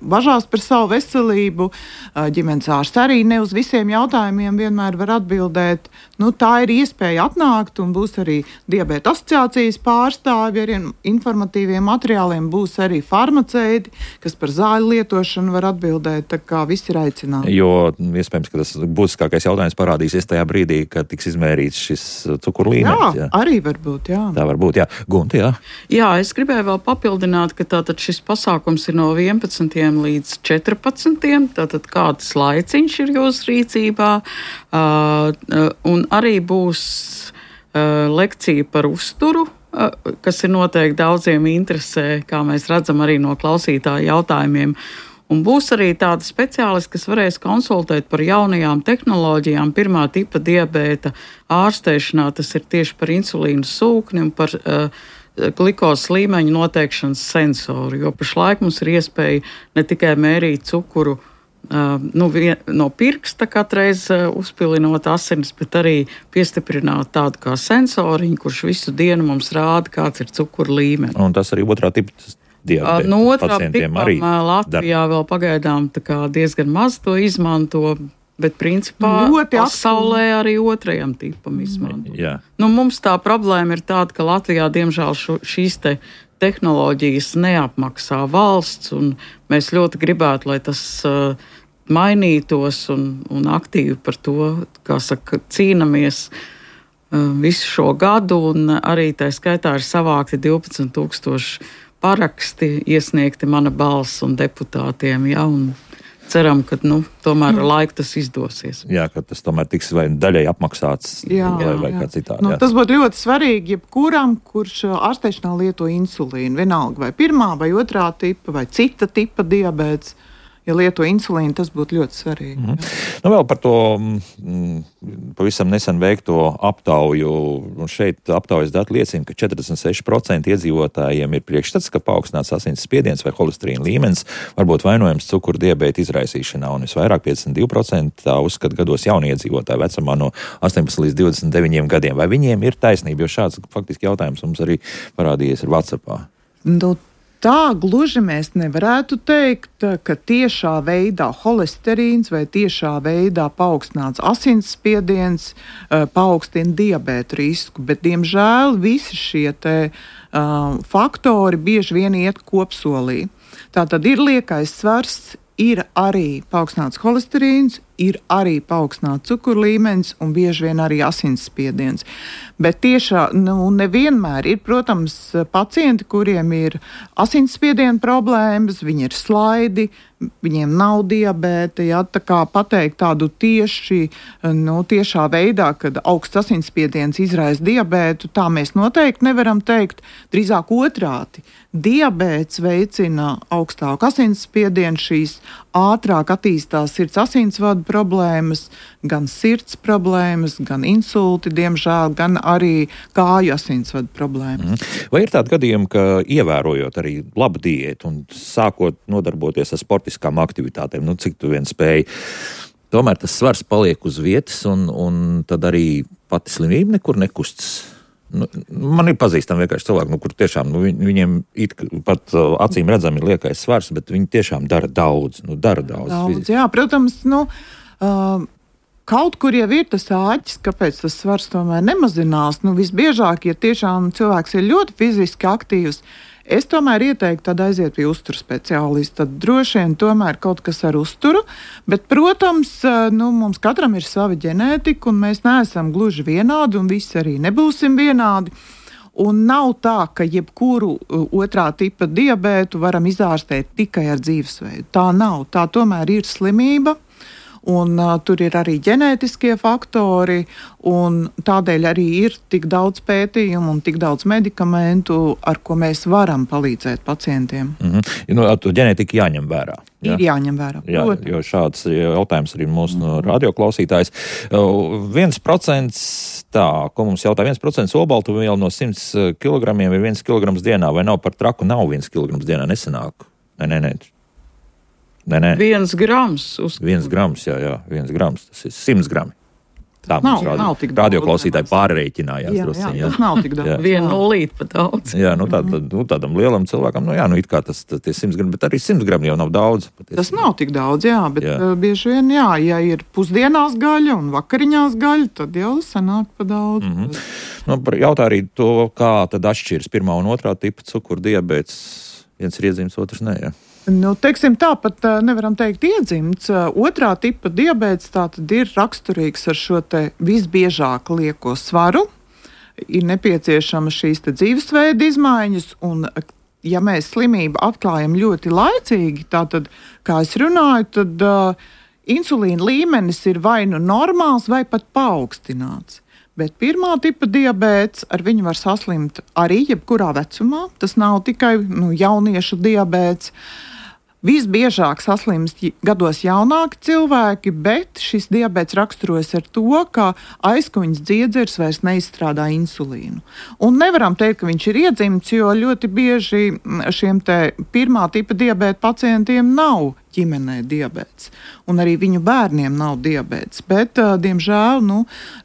bažās par savu veselību. Ģimenes ārsts arī ne uz visiem jautājumiem vienmēr var atbildēt. Tā ir iespēja atnākt, un būs arī diabēta asociācijas pārstāvi ar informatīviem materiāliem, būs arī farmaceiti, kas par zāļu lietošanu var atbildēt, tā kā visi ir aicināti. Jo iespējams, ka tas būtiskākais jautājums parādīsies tajā brīdī, kad tiks izmērīts šis cukuru līmenis. Jā, arī varbūt, jā. Tā var būt. Jā, Gunti, jā. Jā, es gribēju vēl papildināt, ka tātad šis pasākums ir no 11. līdz 14. Tātad kāds laiciņš ir jūsu rīcībā, un arī būs lekcija par uzturu, kas ir noteikti daudziem interesē, kā mēs redzam arī no klausītāju jautājumiem. Un būs arī tādi speciālisti, kas varēs konsultēt par jaunajām tehnoloģijām, 1. tipa diabēta ārstēšanā. Tas ir tieši par insulīnu sūkni un par glukozes līmeņu noteikšanas sensoru. Jo pašlaik mums ir iespēja ne tikai mērīt cukuru no pirksta katreiz uzpilinot asinis, bet arī piestiprināt tādu kā sensoriņu, kurš visu dienu mums rāda, kāds ir cukura līmenis. Un tas arī 2. tipa diabēta no otrā pacientiem tipam, arī Latvijā vēl pagaidām diezgan maz to izmanto. Bet principā pasaulē arī otrajam tipam izmanto. Mums tā problēma ir tāda, ka Latvijā diemžēl šīs tehnoloģijas neapmaksā valsts, un mēs ļoti gribētu, lai tas mainītos un aktīvi par to, kā saka, cīnamies visu šo gadu, un arī tā skaitā ir savākti 12,000 paraksti, iesniegti mana balss un deputātiem, un ceram, ka tomēr ar laiku tas izdosies. Jā, ka tas tomēr tiks vai daļai apmaksāts vai kā citādi. Tas būtu ļoti svarīgi jebkuram, kurš ārstēšanā lieto insulīnu, vienalga vai pirmā vai otrā tipa vai cita tipa diabēts. Ja lieto insulīnu, tas būtu ļoti svarīgi. Vēl par to pavisam nesen veikto aptauju. Šeit aptaujas dati liecina, ka 46% iedzīvotājiem ir priekšstats, ka paaugstināts asins spiediens vai holesterīna līmenis var būt vainojams cukurdiabēta izraisīšanā. Un visvairāk 52% tā uzskata gados jaunie iedzīvotāji vecumā no 18 līdz 29 gadiem. Vai viņiem ir taisnība? Jo šāds faktiski jautājums mums arī parādījies ir WhatsAppā. Tā gluži mēs nevarētu teikt, ka tiešā veidā holesterīns vai tiešā veidā paaugstināts asinsspiediens paaugstina diabēta risku, bet, diemžēl, visi šie faktori bieži vien iet kopsolī. Tātad ir liekais svars, ir arī paaugstināts holesterīns, ir arī paaugstināts cukurlīmenis un bieži vien arī asinsspiediens. Bet tiešā, nevienmēr ir, protams, pacienti, kuriem ir asinsspiediena problēmas, viņi ir slaidi, viņiem nav diabēta, tā kā pateikt tādu tiešā veidā, kad augsts asinsspiediens izraisa diabētu, tā mēs noteikti nevaram teikt, drīzāk otrādi. Diabēts veicina augstāku asinsspiedienu, šīs ātrāk attīstās sirds asinsvadu problēmas, gan sirds problēmas, gan insulti, diemžēl, gan arī kāju asinsvadu problēmas. Vai ir tādi gadījumi, ka ievērojot arī labu diētu un sākot nodarboties ar sportiskām aktivitātēm, cik tu vien spēji, tomēr tas svars paliek uz vietas un tad arī pati slimība nekur nekustas? Man ir pazīstami vienkārši cilvēki, kur tiešām viņiem pat acīm redzami ir liekais svars, bet viņi tiešām dara daudz. Jā, protams, kaut kur jau ir tas āķis, kāpēc tas svars tomēr nemazinās. Visbiežāk, ja tiešām cilvēks ir ļoti fiziski aktīvs, es tomēr ieteiktu tad aiziet pie uzturu speciālista. Tad droši vien tomēr kaut kas ar uzturu, bet, protams, mums katram ir sava ģenētika, un mēs neesam gluži vienādi, un visi arī nebūsim vienādi. Un nav tā, ka jebkuru otrā tipa diabētu varam izārstēt tikai ar dzīvesveidu. Tā nav. Tā tomēr ir slimība. Un tur ir arī ģenētiskie faktori, un tādēļ arī ir tik daudz pētījumu un tik daudz medikamentu, ar ko mēs varam palīdzēt pacientiem. Ģenētika jāņem vērā. Ir jāņem vērā. Jā, jo šāds jautājums arī mūsu radioklausītājs. 1%, ko mums jautā, 1% olbaltumvielu no 100 kg ir 1 kg dienā, vai nav par traku, nav 1 kg dienā, nesanāk? Nē. 1 grams. 1 grams, jā, 1 grams, tas ir 100 grami. Tā nav tik daudz. Radioklausītāji pārreikinājās. Jā, tas nav tik daudz. 1 nulīt pat daudz. Jā, tādam lielam cilvēkam, it kā tas tie 100 grami, bet arī 100 grami jau nav daudz. Tas nav tik daudz, jā, bet bieži vien, ja ir pusdienās gaļa un vakariņās gaļa, tad jau sanāk pa daudz. Jautā arī to, kā tad atšķiras pirmā un otrā tipa cukurdiabēts. Viens ir iedzimts, otrs nē, jā. Teiksim, tāpat nevaram teikt iedzimts. Otrā tipa diabēts tātad ir raksturīgs ar šo visbiežāk lieko svaru. Ir nepieciešama šīs dzīvesveida izmaiņas, un ja mēs slimību atklājam ļoti laicīgi, tātad, kā es runāju, tad insulīna līmenis ir vai normāls, vai pat paaugstināts. Bet pirmā tipa diabēts, ar viņu var saslimt arī jebkurā vecumā. Tas nav tikai jauniešu diabēts. Visbiežāk saslimst gados jaunāki cilvēki, bet šis diabēts raksturojas ar to, ka aizkuņas dziedzers vairs neizstrādā insulīnu. Un nevaram teikt, ka viņš ir iedzimts, jo ļoti bieži šiem pirmā tipa diabēta pacientiem nav ģimenē diabēts. Un arī viņu bērniem nav diabēts. Bet, diemžēl,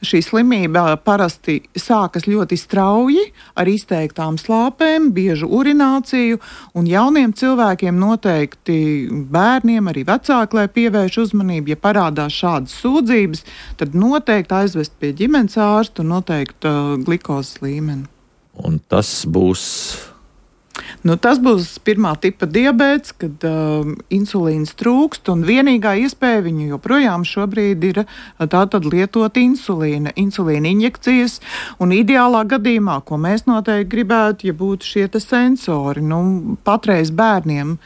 šī slimība parasti sākas ļoti strauji ar izteiktām slāpēm, biežu urināciju, un jauniem cilvēkiem noteikti bērniem, arī vecāki, lai pievērš uzmanību, ja parādās šādas sūdzības, tad noteikti aizvest pie ģimenes ārsta un noteikti glikozes līmeni. Un tas būs... Tas būs pirmā tipa diabēts, kad insulīns trūkst, un vienīgā iespēja viņu joprojām šobrīd ir tātad lietot insulīna injekcijas, un ideālā gadījumā, ko mēs noteikti gribētu, ja būtu šie sensori. Patreiz bērniem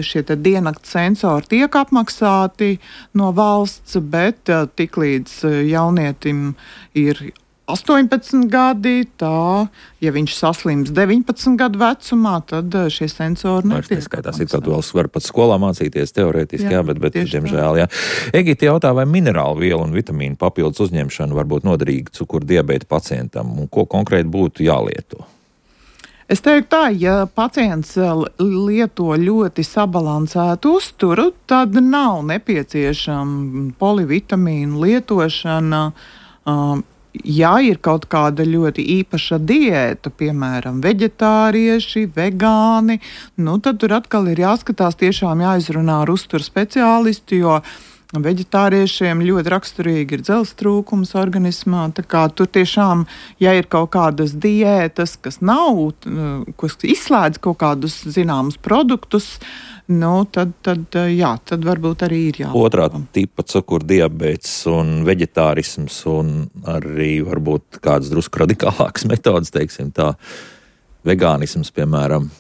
šie diennakts sensori tiek apmaksāti no valsts, bet tiklīdz jaunietim ir 18 gadi, ja viņš saslims 19 gadu vecumā, tad šie sensori netiek. Tas ir tad vēl var pat skolā mācīties teorētiski, bet diemžēl, jā. Egita jautā, vai minerālu vielu un vitamīnu papildus uzņemšana var būt noderīga cukuru diabēta pacientam, un ko konkrēti būtu jālieto? Es teiktu tā, ja pacients lieto ļoti sabalansētu uzturu, tad nav nepieciešama polivitamīnu lietošana. Ja ir kaut kāda ļoti īpaša diēta, piemēram, veģetārieši, vegāni, tad tur atkal ir jāskatās, tiešām jāizrunā ar uzturu speciālistu, jo veģetāriešiem ļoti raksturīgi ir dzelzs trūkums organismā. Tā kā tur tiešām, ja ir kaut kādas diētas, kas nav, kas izslēdz kaut kādus zināmus produktus, tad varbūt arī ir jābūt. Otrā tipa cukuru diabēts un veģetārisms un arī varbūt kādas drusku radikālākas metodas, teiksim tā, vegānisms, piemēram.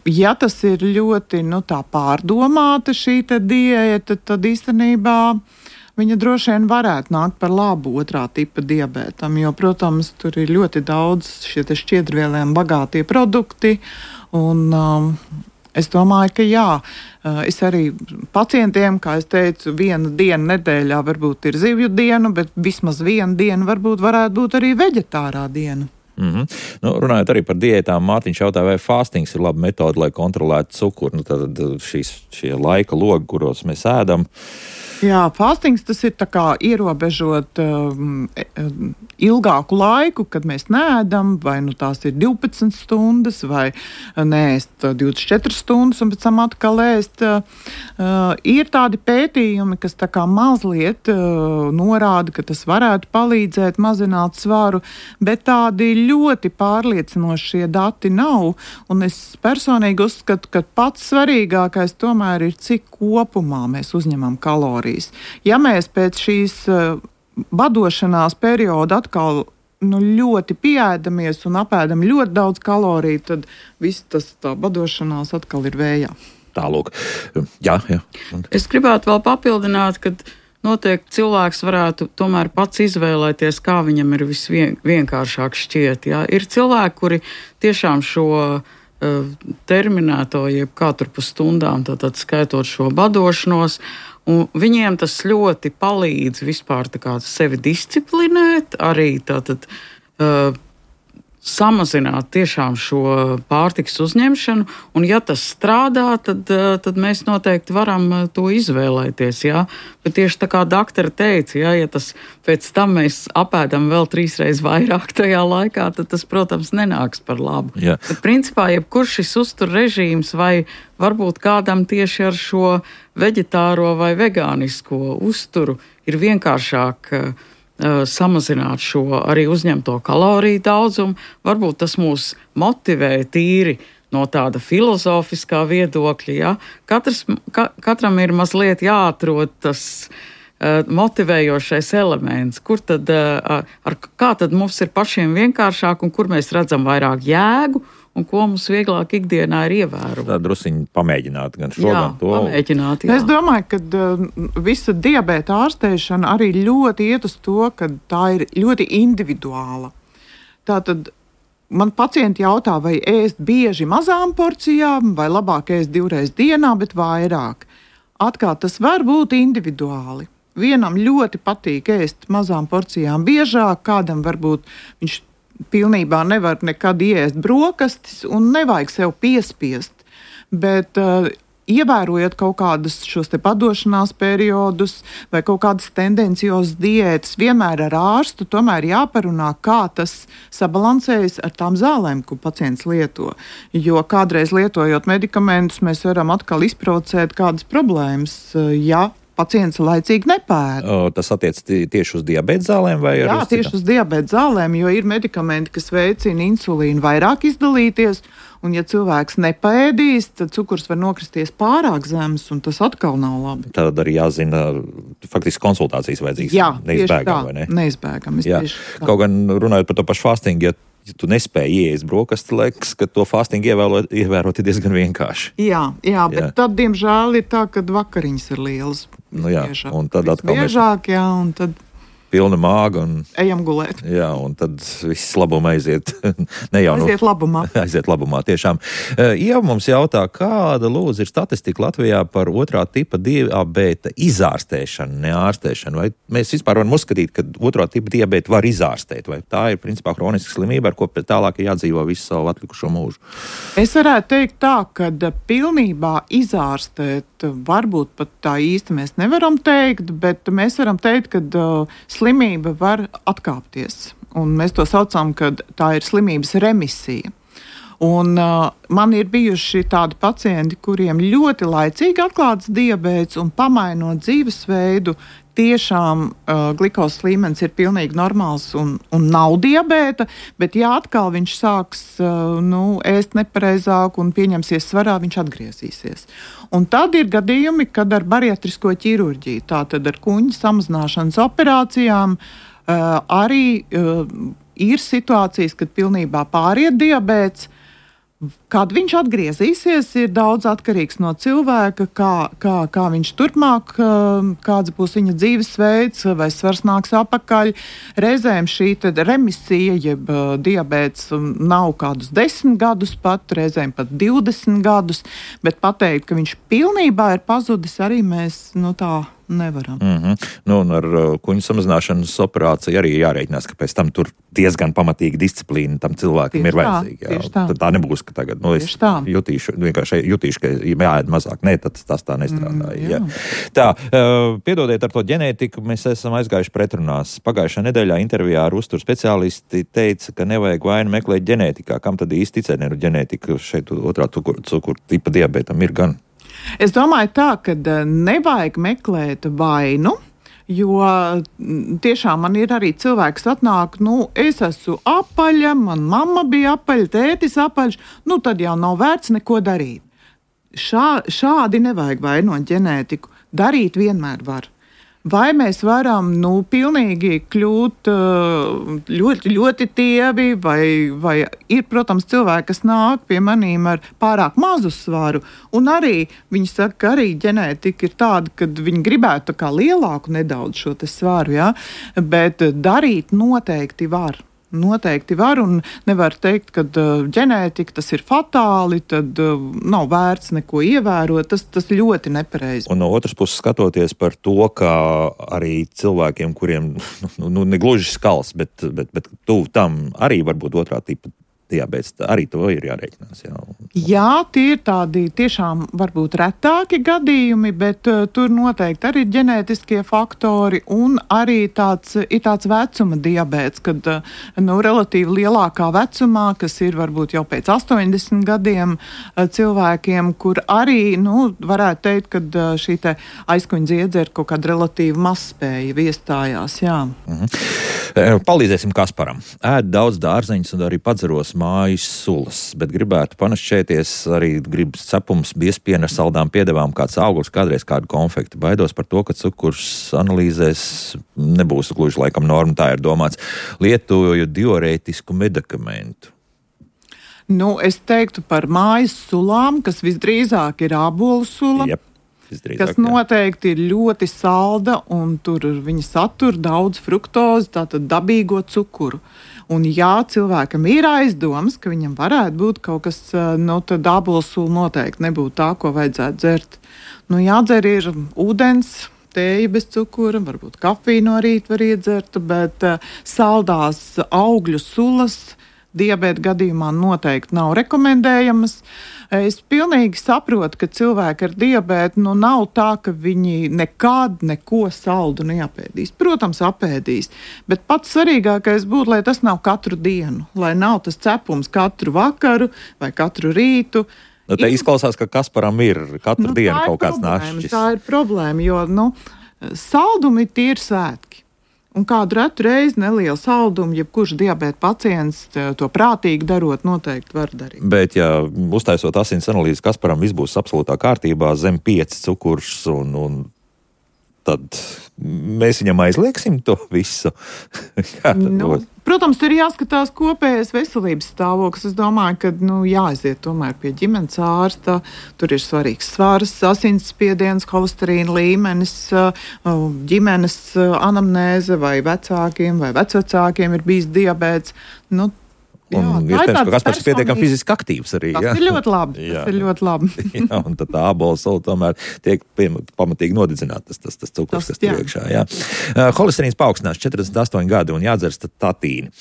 Ja tas ir ļoti tā pārdomāta šī diēta, tad īstenībā viņa droši vien varētu nākt par labu otrā tipa diabētam, jo, protams, tur ir ļoti daudz šie šķiedrvielēm bagātie produkti, un es domāju, ka jā, es arī pacientiem, kā es teicu, viena diena nedēļā varbūt ir zivju diena, bet vismaz viena diena varētu būt arī veģetārā diena. Runājot arī par diētām, Mārtiņš jautā, vai fāstings ir laba metode, lai kontrolētu cukuru. Tad šie laika logi, kuros mēs ēdam. Jā, fāstings tas ir tā kā ierobežot ilgāku laiku, kad mēs neēdam, vai tās ir 12 stundas, vai neēst 24 stundas un pēc tam atkal ēst. Ir tādi pētījumi, kas tā kā mazliet norāda, ka tas varētu palīdzēt mazināt svaru, bet tādi ļoti pārliecinošie dati nav, un es personīgi uzskatu, ka pats svarīgākais tomēr ir, cik kopumā mēs uzņemam kalorijas. Ja mēs pēc šīs badošanās perioda atkal ļoti pieēdamies un apēdam ļoti daudz kaloriju, tad viss tā badošanās atkal ir vējā. Tālūk. Jā. Es gribētu vēl papildināt, ka noteikti cilvēks varētu tomēr pats izvēlēties, kā viņam ir visvienkāršāk šķiet. Jā. Ir cilvēki, kuri tiešām šo terminēto, jeb katru pa stundām, tātad skaitot šo badošanos, un viņiem tas ļoti palīdz vispār tā kā sevi disciplinēt, arī tātad samazināt tiešām šo pārtikas uzņemšanu, un ja tas strādā, tad mēs noteikti varam to izvēlēties, jā. Bet tieši tā kā doktora teica, jā, ja tas pēc tam mēs apēdam vēl 3 reizes vairāk tajā laikā, tad tas, protams, nenāks par labu. Jā. Bet principā, jebkurš šis uztur režīms vai varbūt kādam tieši ar šo veģetāro vai vegānisko uzturu ir vienkāršāk samazināt šo arī uzņemto kaloriju daudzumu. Varbūt tas mūs motivē tīri no tāda filozofiskā viedokļa. Ja? Katram ir mazliet jāatrod tas motivējošais elements, kā tad mums ir pašiem vienkāršāk un kur mēs redzam vairāk jēgu un ko mums vieglāk ikdienā ir ievērot. Tā drusiņi pamēģināt gan šo, gan to. Pamēģināt, jā. Es domāju, ka visa diabēta ārstēšana arī ļoti iet uz to, ka tā ir ļoti individuāla. Tātad man pacienti jautā, vai ēst bieži mazām porcijām, vai labāk ēst 2 reizes dienā, bet vairāk. Atkal tas var būt individuāli. Vienam ļoti patīk ēst mazām porcijām biežāk, kādam varbūt viņš pilnībā nevar nekad ēst brokastis un nevajag sev piespiest. Bet ievērojot kaut kādus šos te padošanās periodus vai kaut kādas tendenciozas diētas, vienmēr ar ārstu tomēr jāparunā, kā tas sabalansējas ar tām zālēm, ko pacients lieto. Jo kādreiz lietojot medikamentus, mēs varam atkal izprovocēt kādas problēmas, ja pacients laicīgi nepēda. Tas attiec tieši uz diabēta zālēm vai Jā, tieši uz diabēta zālēm, jo ir medikamenti, kas veicina insulīnu vairāk izdalīties, un ja cilvēks nepēdīs, tad cukurs var nokristies pārāk zems, un tas atkal nav labi. Tad arī jāzina, faktiski konsultācijas vajadzīgas. Jā, neizbēgam, vai ne? Neizbēgam. Kaut gan runājot par to pašu fastingu, ja tu nespēji ieiest brokastu, liekas, ka to fastingu ievērot ir diezgan vienkārši. Jā, bet tad, diemžēl, ir tā, ka vakariņas ir lielas. Biežāk. Un tad atkal biežāk, un tad pilna māga. Ejam gulēt. Jā, un tad viss labuma aiziet. Aiziet labumā, tiešām. Ieva mums jautā, kāda lūdzu ir statistika Latvijā par otrā tipa diabēta izārstēšanu, neārstēšanu? Vai mēs vispār varam uzskatīt, ka otrā tipa diabēta var izārstēt? Vai tā ir principā kroniska slimība, ar ko pēc tālāk jādzīvo visu savu atlikušo mūžu? Es varētu teikt tā, ka pilnībā izārstēt varbūt pat tā īsti mēs nevaram teikt, bet mēs varam teikt, ka slimība var atkāpties. Un mēs to saucam, ka tā ir slimības remisija. Un man ir bijuši tādi pacienti, kuriem ļoti laicīgi atklāts diabēts un pamainot dzīvesveidu, tiešām glukozes līmenis ir pilnīgi normāls un nav diabēta, bet ja atkal viņš sāks ēst nepareizāk un pieņemsies svarā, viņš atgriezīsies. Un tad ir gadījumi, kad ar bariatrisko ķirurģiju, tātad ar kuņģa samazināšanas operācijām, arī ir situācijas, kad pilnībā pāriet diabēts. Kad viņš atgriezīsies, ir daudz atkarīgs no cilvēka, kā viņš turpmāk, kāds būs viņa dzīvesveids, vai svars nāks apakaļ. Reizēm šī remisija, jeb diabēts nav kādus 10 gadus pat, reizēm pat 20 gadus, bet pateikt, ka viņš pilnībā ir pazudis, arī mēs tā nevaram. Un ar kuņu samazināšanas operāciju arī jārēķinās, ka pēc tam tur diezgan pamatīgi disciplīna tam cilvēkam ir vajadzīga. Tā nebūs, ka tagad es jutīšu, ka jāēd mazāk. Nē, tas tā nestrādā. Jā. Tā, piedodiet ar to ģenētiku, mēs esam aizgājuši pretrunās. Pagājušā nedēļā intervijā ar uzturu speciālisti teica, ka nevajag vainu meklēt ģenētikā. Kam tad īsti ticēt, ne ģenētika šeit otrā cukuru tipa diabētam ir gan? Es domāju tā, ka nevajag meklēt vainu, jo tiešām man ir arī cilvēks atnāk, es esmu apaļa, man mamma bija apaļa, tētis apaļš, tad jau nav vērts neko darīt. Šādi nevajag vainot ģenētiku, darīt vienmēr var. Vai mēs varam pilnīgi kļūt ļoti, ļoti tievi, vai ir, protams, cilvēki, kas nāk pie manīm ar pārāk mazu svaru, un arī viņi saka, ka arī ģenētika ir tāda, ka viņi gribētu tā kā lielāku nedaudz šo te svaru, ja? Bet darīt noteikti var. Noteikti var, un nevar teikt, ka ģenētika tas ir fatāli, tad nav vērts neko ievērot, tas ļoti nepareizi. Un no otras puses skatoties par to, ka arī cilvēkiem, kuriem negluži skals, bet tuvu tam arī varbūt otrā tipa diabēts, arī to ir jārēķinās. Jā, tie ir tādi tiešām varbūt retāki gadījumi, bet tur noteikti arī ir ģenētiskie faktori un arī ir tāds vecuma diabēts, kad relatīvi lielākā vecumā, kas ir varbūt jau pēc 80 gadiem cilvēkiem, kur arī, varētu teikt, kad šī te aizkuņa dziedze ir kaut kāda relatīvi mazspēja iestājās, jā. Palīdzēsim Kasparam. Ēd daudz dārzeņus un arī padzeros mājas sulas, bet gribētu panašķēties, arī grib cepums, biespiena ar saldām piedevām, kāds augurs, kādreiz kādu konfekti. Baidos par to, ka cukurs analīzēs nebūs gluži laikam norma, tā ir domāts. Lietoju diurētisku medikamentu. Es teiktu par mājas sulām, kas visdrīzāk ir ābolu sula. Jep. Kas noteikti ir ļoti salda, un tur viņa satur daudz fruktozi, tātad dabīgo cukuru. Un jā, cilvēkam ir aizdomas, ka viņam varētu būt kaut kas, tad ābolsula noteikti nebūtu tā, ko vajadzētu dzert. Jādzer ir ūdens, tēja bez cukura, varbūt kafiju no rīta var iedzert, bet saldās augļu sulas diabēta gadījumā noteikti nav rekomendējamas. Es pilnīgi saprotu, ka cilvēki ar diabētu nav tā, ka viņi nekad neko saldu neapēdīs. Protams, apēdīs, bet pats svarīgākais būtu, lai tas nav katru dienu, lai nav tas cepums katru vakaru vai katru rītu. Te izklausās, ka Kasparam ir katru dienu kaut kāds nāšķis. Tā ir problēma, jo saldumi tie ir svētki. Un kādu retu reizi nelielu saldumu, jebkurš diabēta pacients to prātīgi darot, noteikti var darīt. Bet, ja uztaisot asins analīzi, Kasparam viss būs absolūtā kārtībā, zem 5 cukurs, un tad mēs viņam aizlieksim to visu? Protams, tur ir jāskatās kopējais veselības stāvoklis. Es domāju, ka jāaiziet tomēr pie ģimenes ārsta. Tur ir svarīgs svars, asinsspiediens, holesterīna līmenis, ģimenes anamnēze vai vecākiem vai vecvecākiem ir bijis diabēts. Un iespējams, ka Kaspars ir pietiekami fiziski aktīvs arī. Tas ir ļoti labi. Tas ir ļoti labi. Jā, un tad tā ābola sula tomēr tiek pamatīgi nodedzināta, tas cukurs, kas tur iekšā. Jā. Holesterīns paaugstinās 48 gadi un jādzer statīni.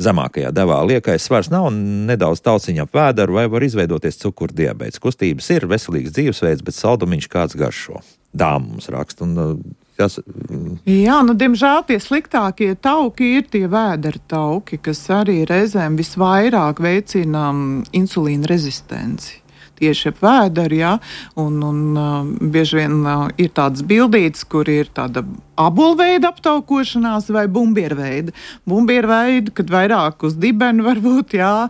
Zemākajā devā liekais svars nav un nedaudz tauciņa ap vēderu vai var izveidoties cukurddiabēts. Kustības ir veselīgs dzīvesveids, bet saldumiņš kāds garšo. Dāma mums raksta un Jā, diemžēl tie sliktākie tauki ir tie vēdera tauki, kas arī reizēm visvairāk veicina insulīna rezistenci. Tieši ap vēderu, jā, un bieži vien ir tādas bildītes, kur ir tāda abolveida aptaukošanās vai bumbierveida. Bumbierveida, kad vairāk uz dibenu varbūt, jā,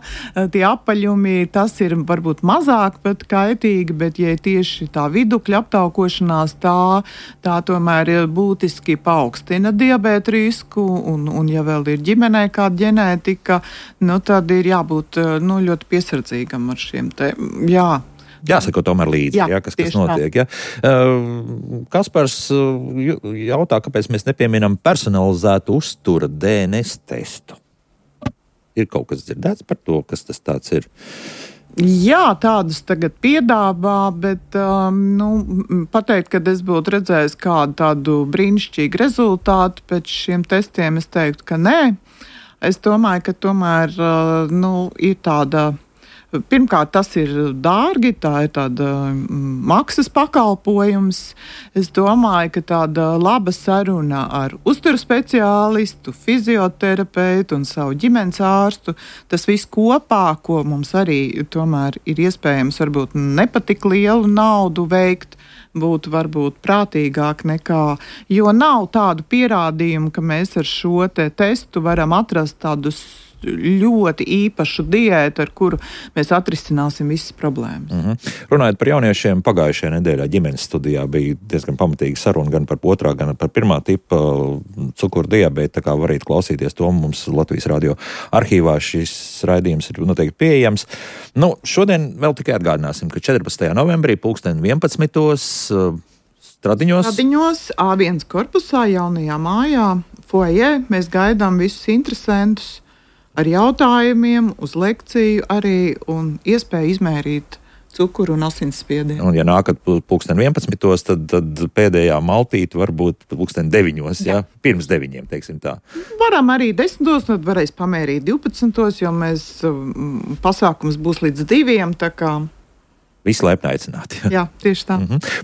tie apaļumi, tas ir varbūt mazāk pat kaitīgi, bet ja tieši tā vidukļa aptaukošanās, tā tomēr būtiski paaugstina diabēta risku, un ja vēl ir ģimenē kāda ģenētika, tad ir jābūt ļoti piesardzīgam ar šiem te, jā. Jāsako tomēr līdzi, kas notiek. Ja? Kaspars jautā, kāpēc mēs nepieminam personalizētu uztura DNS testu. Ir kaut kas dzirdēts par to, kas tas tāds ir? Jā, tādus tagad piedāvā, bet pateikt, ka es būtu redzējis kādu tādu brīnišķīgu rezultātu pēc šiem testiem, es teiktu, ka nē. Es domāju, ka tomēr ir tāda. Pirmkārt, tas ir dārgi, tā ir tāda maksas pakalpojums. Es domāju, ka tāda laba saruna ar uzturu speciālistu, fizioterapeitu un savu ģimenes ārstu, tas viss kopā, ko mums arī tomēr ir iespējams varbūt nepatik lielu naudu veikt, būtu varbūt prātīgāk nekā, jo nav tādu pierādījumu, ka mēs ar šo testu varam atrast tādus ļoti īpašu diētu, ar kuru mēs atrisināsim visas problēmas. Runājot par jauniešiem, pagājušajā nedēļā ģimenes studijā bija diezgan pamatīga saruna gan par otrā, gan par pirmā tipa cukurddiabētu, tā kā varētu klausīties to. Mums Latvijas radio arhīvā šis raidījums ir noteikti pieejams. Šodien vēl tikai atgādināsim, ka 14. novembrī 11:00 Stradiņos A1 korpusā, jaunajā mājā, foajē, mēs gaidām visus interesantus ar jautājumiem, uz lekciju arī un iespēju izmērīt cukuru un asinsspiedienu. Un ja nākat 11:00, tad pēdējā maltīte var būt 9:00, ja? Pirms 9:00, teiksim tā. Varam arī 10:00, tad varēs pamērīt 12:00, jo mēs pasākums būs līdz 2:00, tā kā. Visi laipni aicināti. Jā, tieši tā.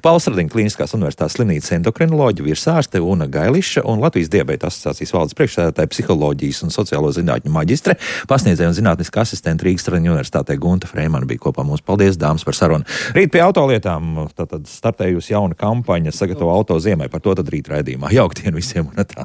Pauls Radiņa Kliniskās universitātes slimnīcas endokrinoloģija virsārste Una Gailiša un Latvijas diabēta asociācijas valdes priekšsēdētāja psiholoģijas un sociālo zinātņu maģistre, pasniedzēja un zinātniska asistente Rīgas Radiņa universitātē Gunta Freimana bija kopā mums. Paldies, dāmas, par sarunu. Rīt pie autolietām, tātad startējusi jauna kampaņa Sagatavo auto ziemai, par to tad rīt raidījumā. Jauktdien visiem un tā.